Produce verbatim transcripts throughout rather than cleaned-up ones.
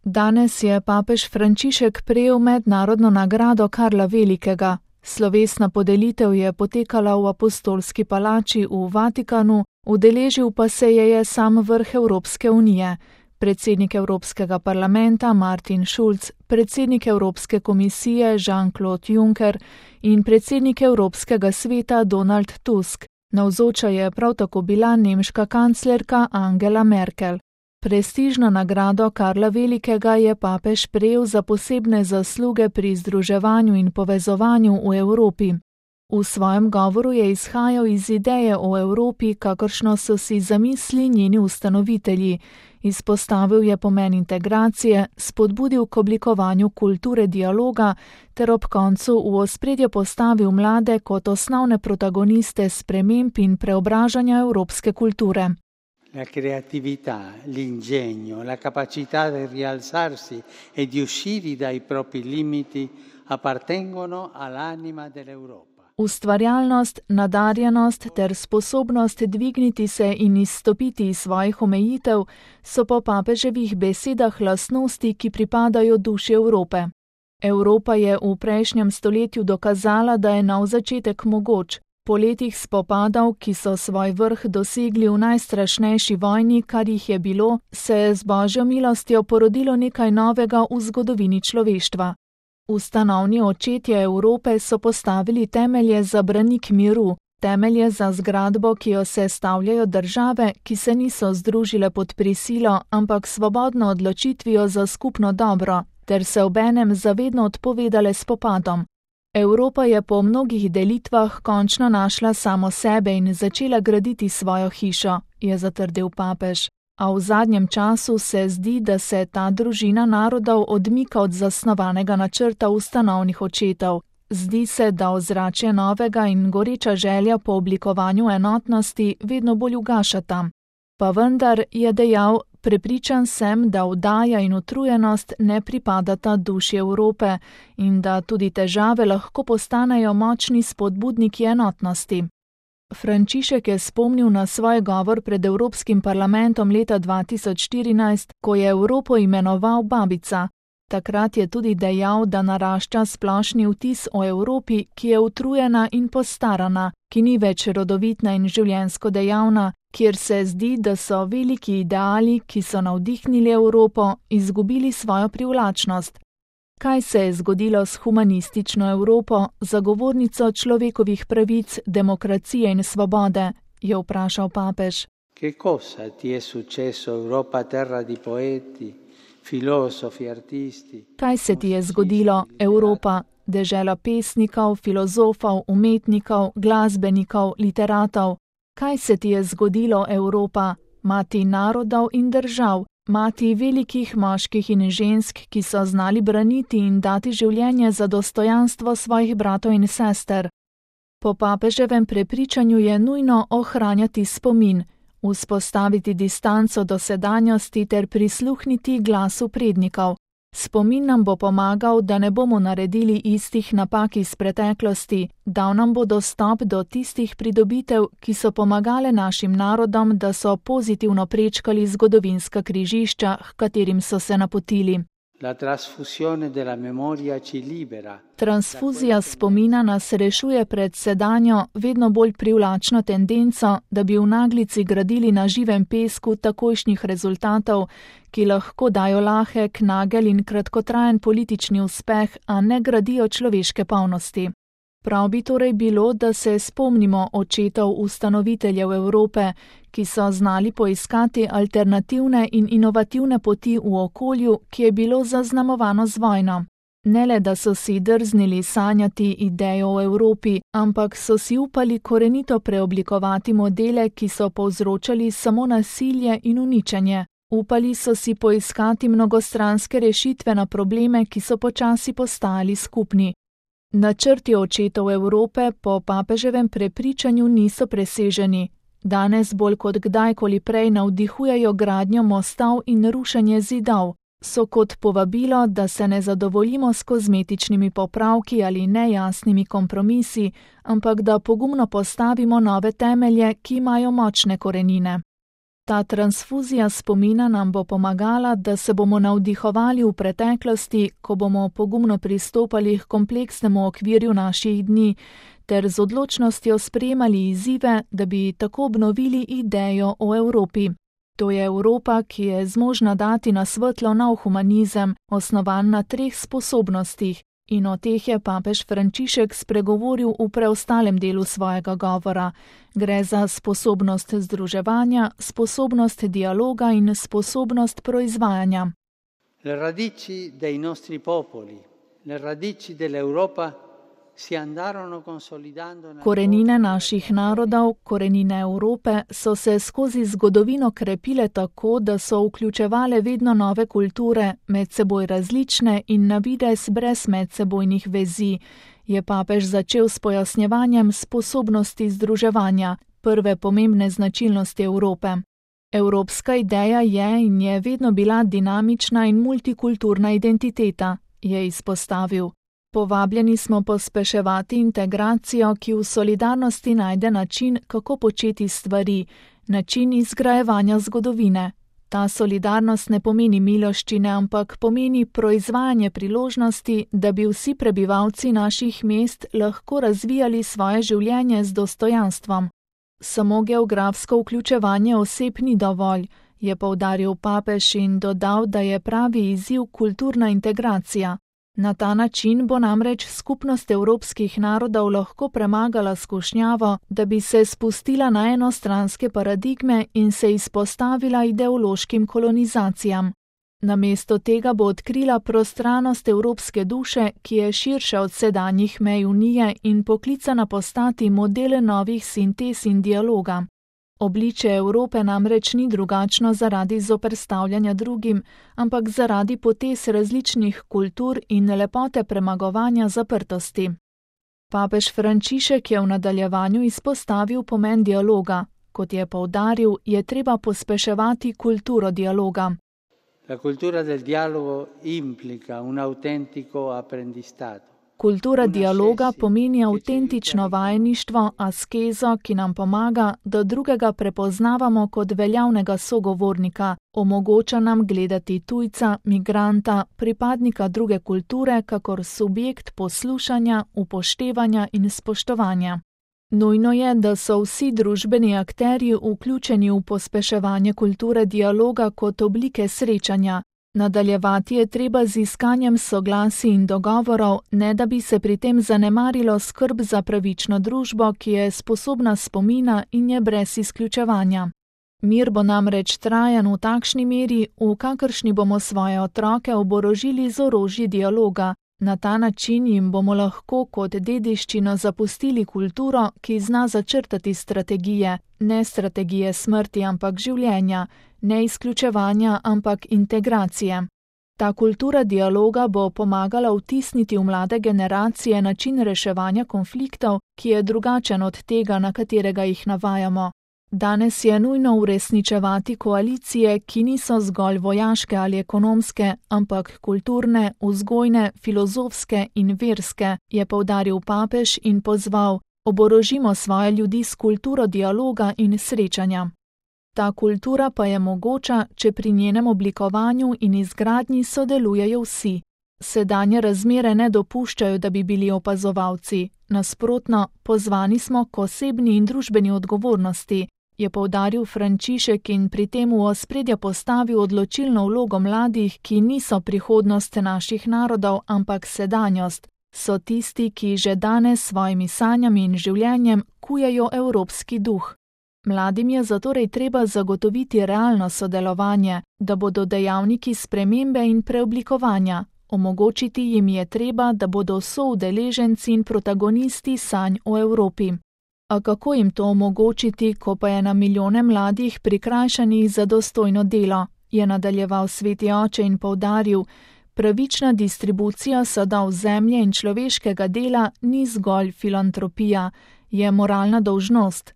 Danes je papež Frančišek prejel mednarodno nagrado Karla Velikega. Slovesna podelitev je potekala v Apostolski palači v Vatikanu, udeležil pa se je je sam vrh Evropske unije, predsednik Evropskega parlamenta Martin Schulz, predsednik Evropske komisije Jean-Claude Juncker in predsednik Evropskega sveta Donald Tusk. Navzoča je prav tako bila nemška kanclerka Angela Merkel. Prestižno nagrado Karla Velikega je papež prejel za posebne zasluge pri združevanju in povezovanju v Evropi. V svojem govoru je izhajal iz ideje o Evropi, kakršno so si zamisli njeni ustanovitelji. Izpostavil je pomen integracije, spodbudil k oblikovanju kulture dialoga ter ob koncu v ospredje postavil mlade kot osnovne protagoniste sprememb in preobražanja evropske kulture. La creatività, l'ingegno, la capacità di rialzarsi e di uscire dai propri limiti appartengono all'anima dell'Europa. Ustvarjalnost, nadarjenost ter sposobnost dvigniti se in izstopiti iz svojih omejitev so po papeževih besedah lastnosti, ki pripadajo duši Evrope. Evropa je v prejšnjem stoletju dokazala, da je nov začetek mogoč. Po letih spopadov, ki so svoj vrh dosegli v najstrašnejši vojni, kar jih je bilo, se je z Božjo milostjo porodilo nekaj novega v zgodovini človeštva. Ustanovni očetje Evrope so postavili temelje za branik miru, temelje za zgradbo, ki jo sestavljajo države, ki se niso združile pod prisilo, ampak svobodno odločitvijo za skupno dobro, ter se obenem zavedno odpovedale spopadom. Evropa je po mnogih delitvah končno našla samo sebe in začela graditi svojo hišo, je zatrdil papež. A v zadnjem času se zdi, da se ta družina narodov odmika od zasnovanega načrta ustanovnih očetov. Zdi se, da ozračje novega in goreča želja po oblikovanju enotnosti vedno bolj ugašata. Pa vendar, je dejal, prepričan sem, da vdaja in utrujenost ne pripadata duši Evrope in da tudi težave lahko postanejo močni spodbudniki enotnosti. Frančišek je spomnil na svoj govor pred Evropskim parlamentom leta dva tisoč štirinajst, ko je Evropo imenoval babica. Takrat je tudi dejal, da narašča splošni vtis o Evropi, ki je utrujena in postarana, ki ni več rodovitna in življenjsko dejavna, kjer se zdi, da so veliki ideali, ki so navdihnili Evropo, izgubili svojo privlačnost. Kaj se je zgodilo s humanistično Evropo, zagovornico človekovih pravic, demokracije in svobode, je vprašal papež. Che cosa ti è successo, Europa, terra di poeti, filosofi, artisti? Kaj se ti je zgodilo, Evropa, dežela pesnikov, filozofov, umetnikov, glasbenikov, literatov? Kaj se ti je zgodilo, Evropa, mati narodov in držav? Mati velikih moških in žensk, ki so znali braniti in dati življenje za dostojanstvo svojih bratov in sester. Po papeževem prepričanju je nujno ohranjati spomin, vzpostaviti distanco do sedanjosti ter prisluhniti glasu prednikov. Spomin nam bo pomagal, da ne bomo naredili istih napak iz preteklosti, dal nam bo dostop do tistih pridobitev, ki so pomagale našim narodom, da so pozitivno prečkali zgodovinska križišča, h katerim so se napotili. La trasfusione della memoria ci libera. Transfuzija spomina nas rešuje pred sedanjo, vedno bolj privlačno tendenco, da bi v naglici gradili na živem pesku takojšnjih rezultatov, ki lahko dajo lahek, nagel in kratkotrajen politični uspeh, a ne gradijo človeške polnosti. Prav bi torej bilo, da se spomnimo očetov ustanoviteljev Evrope, ki so znali poiskati alternativne in inovativne poti v okolju, ki je bilo zaznamovano z vojno. Ne le, da so si drznili sanjati idejo o Evropi, ampak so si upali korenito preoblikovati modele, ki so povzročali samo nasilje in uničenje. Upali so si poiskati mnogostranske rešitve na probleme, ki so počasi postajali skupni. Načrti očetov Evrope po papeževem prepričanju niso preseženi. Danes bolj kot kdajkoli prej navdihujejo gradnjo mostov in rušenje zidov. So kot povabilo, da se ne zadovoljimo s kozmetičnimi popravki ali nejasnimi kompromisi, ampak da pogumno postavimo nove temelje, ki imajo močne korenine. Ta transfuzija spomina nam bo pomagala, da se bomo navdihovali v preteklosti, ko bomo pogumno pristopali k kompleksnemu okvirju naših dni, ter z odločnostjo sprejemali izzive, da bi tako obnovili idejo o Evropi. To je Evropa, ki je zmožna dati na svetlo nov humanizem, osnovan na treh sposobnostih, in o teh je papež Frančišek spregovoril v preostalem delu svojega govora. Gre za sposobnost združevanja, sposobnost dialoga in sposobnost proizvajanja. Le radici dei nostri popoli, le radici dell'Europa si andarono consolidando. Korenine naših narodov, korenine Evrope so se skozi zgodovino krepile tako, da so vključevale vedno nove kulture, med seboj različne in na videz brez medsebojnih vezi, je papež začel s pojasnjevanjem sposobnosti združevanja, prve pomembne značilnosti Evrope. Evropska ideja je in je vedno bila dinamična in multikulturna identiteta, je izpostavil. Povabljeni smo pospeševati integracijo, ki v solidarnosti najde način, kako početi stvari, način izgrajevanja zgodovine. Ta solidarnost ne pomeni miloščine, ampak pomeni proizvajanje priložnosti, da bi vsi prebivalci naših mest lahko razvijali svoje življenje z dostojanstvom. Samo geografsko vključevanje oseb ni dovolj, je poudaril papež in dodal, da je pravi izziv kulturna integracija. Na ta način bo namreč skupnost evropskih narodov lahko premagala skušnjavo, da bi se spustila na enostranske paradigme in se izpostavila ideološkim kolonizacijam. Namesto tega bo odkrila prostranost evropske duše, ki je širša od sedanjih mej Unije in poklicana postati modele novih sintez in dialoga. Obličje Evrope namreč ni drugačno zaradi zoperstavljanja drugim, ampak zaradi potez različnih kultur in lepote premagovanja zaprtosti. Papež Frančišek je v nadaljevanju izpostavil pomen dialoga. Kot je poudaril, je treba pospeševati kulturo dialoga. La cultura del dialogo implica un autentico apprendistato. Kultura dialoga pomeni avtentično vajeništvo, askezo, ki nam pomaga, da drugega prepoznavamo kot veljavnega sogovornika, omogoča nam gledati tujca, migranta, pripadnika druge kulture, kakor subjekt poslušanja, upoštevanja in spoštovanja. Nujno je, da so vsi družbeni akterji vključeni v pospeševanje kulture dialoga kot oblike srečanja. Nadaljevati je treba z iskanjem soglasij in dogovorov, ne da bi se pri tem zanemarilo skrb za pravično družbo, ki je sposobna spomina in je brez izključevanja. Mir bo namreč trajan v takšni meri, v kakršni bomo svoje otroke oborožili z orožji dialoga. Na ta način jim bomo lahko kot dediščino zapustili kulturo, ki zna začrtati strategije, ne strategije smrti, ampak življenja, ne izključevanja, ampak integracije. Ta kultura dialoga bo pomagala vtisniti v mlade generacije način reševanja konfliktov, ki je drugačen od tega, na katerega jih navajamo. Danes je nujno uresničevati koalicije, ki niso zgolj vojaške ali ekonomske, ampak kulturne, vzgojne, filozofske in verske, je poudaril papež in pozval: oborožimo svoje ljudi s kulturo dialoga in srečanja. Ta kultura pa je mogoča, če pri njenem oblikovanju in izgradnji sodelujejo vsi. Sedanje razmere ne dopuščajo, da bi bili opazovalci. Nasprotno, pozvani smo k osebni in družbeni odgovornosti, je poudaril Frančišek in pri tem v ospredje postavil odločilno vlogo mladih, ki niso prihodnost naših narodov, ampak sedanjost. So tisti, ki že danes s svojimi sanjami in življenjem kujejo evropski duh. Mladim je zatorej treba zagotoviti realno sodelovanje, da bodo dejavniki spremembe in preoblikovanja. Omogočiti jim je treba, da bodo soudeleženci in protagonisti sanj o Evropi. A kako jim to omogočiti, ko pa je na milijone mladih prikrajšanih za dostojno delo, je nadaljeval sveti oče in poudaril: pravična distribucija sadov zemlje in človeškega dela ni zgolj filantropija, je moralna dolžnost.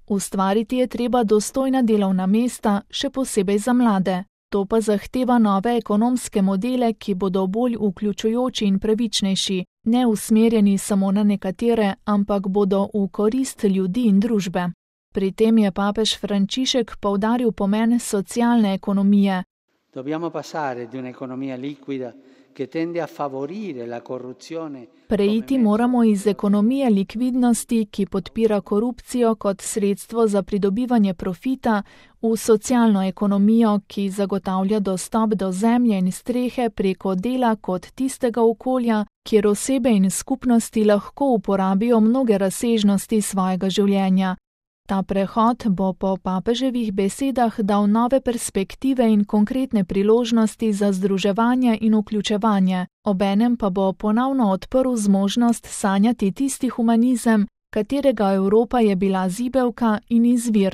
Ustvariti je treba dostojna delovna mesta, še posebej za mlade. To pa zahteva nove ekonomske modele, ki bodo bolj vključujoči in pravičnejši, ne usmerjeni samo na nekatere, ampak bodo v korist ljudi in družbe. Pri tem je papež Frančišek poudaril pomen socialne ekonomije. Dobbiamo passare di un'economia liquida che tende a favorire la corruzione. Preiti moramo iz ekonomije likvidnosti, ki podpira korupcijo kot sredstvo za pridobivanje profita, v socialno ekonomijo, ki zagotavlja dostop do zemlje in strehe preko dela kot tistega okolja, kjer osebe in skupnosti lahko uporabijo mnoge razsežnosti svojega življenja. Ta prehod bo po papeževih besedah dal nove perspektive in konkretne priložnosti za združevanje in vključevanje, obenem pa bo ponovno odprl zmožnost sanjati tisti humanizem, katerega Evropa je bila zibelka in izvir.